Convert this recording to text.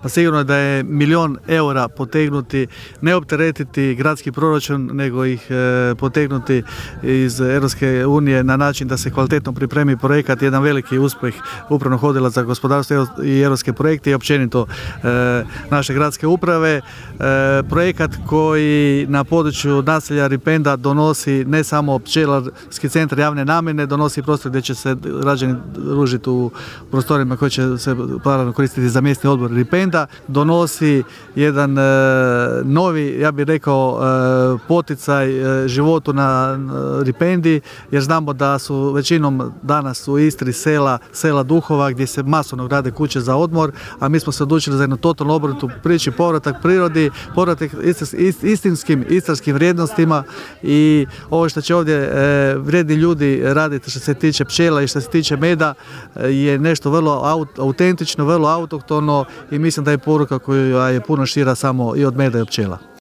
Pa sigurno je da je €1.000.000 potegnuti, ne opteretiti gradski proračun, nego ih potegnuti iz Europske unije na način da se kvalitetno pripremi projekat, jedan veliki uspjeh Upravnog odjela za gospodarstvo i europske projekte i općenito naše gradske uprave. Projekat koji na području naselja Ripenda donosi ne samo pčelarski centar javne namjene, donosi prostor gdje će se građani družiti u prostorima koji će se koristiti za mjesni odbor Ripenda. Donosi jedan novi, ja bih rekao, poticaj životu na Ripendi, jer znamo da su većinom danas u Istri sela duhova gdje se masovno grade kuće za odmor, a mi smo se odlučili za jednu totalno obrnutu priču, povratak prirodi, povratak istinskim istarskim vrijednostima i ovo što će ovdje vrijedni ljudi raditi što se tiče pčela i što se tiče meda je nešto vrlo autentično, vrlo autohtono i mislim da je poruka koja je puno šira samo i od meda i od pčela.